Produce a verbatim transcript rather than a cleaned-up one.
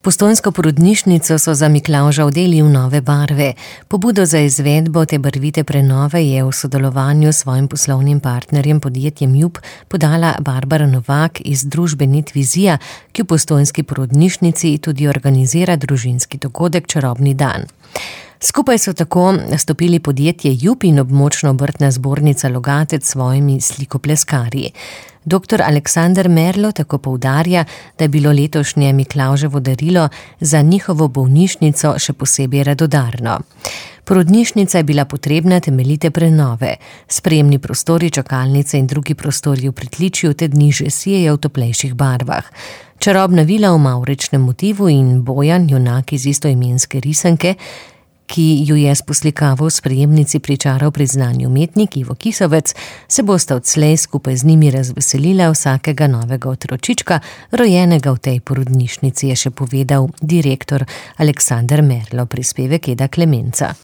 Postojnsko porodnišnico so za Miklavža odeli v nove barve. Pobudo za izvedbo te barvite prenove je v sodelovanju s svojim poslovnim partnerjem podjetjem Jup podala Barbara Novak iz družbe Netvizija, ki v postojnski porodnišnici tudi organizira družinski dogodek Čarobni dan. Skupaj so tako stopili podjetje Jup in območna obrtna zbornica Logatec s svojimi slikopleskarji. Doktor Aleksander Merlo tako poudarja, da je bilo letošnje Miklavževo darilo za njihovo bolnišnico še posebej radodarno. Porodnišnica je bila potrebna temeljite prenove. Sprejemni prostori, čakalnice in drugi prostori v pritličju te dni že sijejo v toplejših barvah. Čarobna vila v mavričnem motivu in Bojan, junak iz istoimenske risanke, ki ju je s poslikavo v sprejemnici pričaral priznani umetnik Ivo Kisovec, se bosta odslej skupaj z njimi razveselila vsakega novega otročička, rojenega v tej porodnišnici, je še povedal direktor Aleksander Merlo, prispevek Eda Klemenca.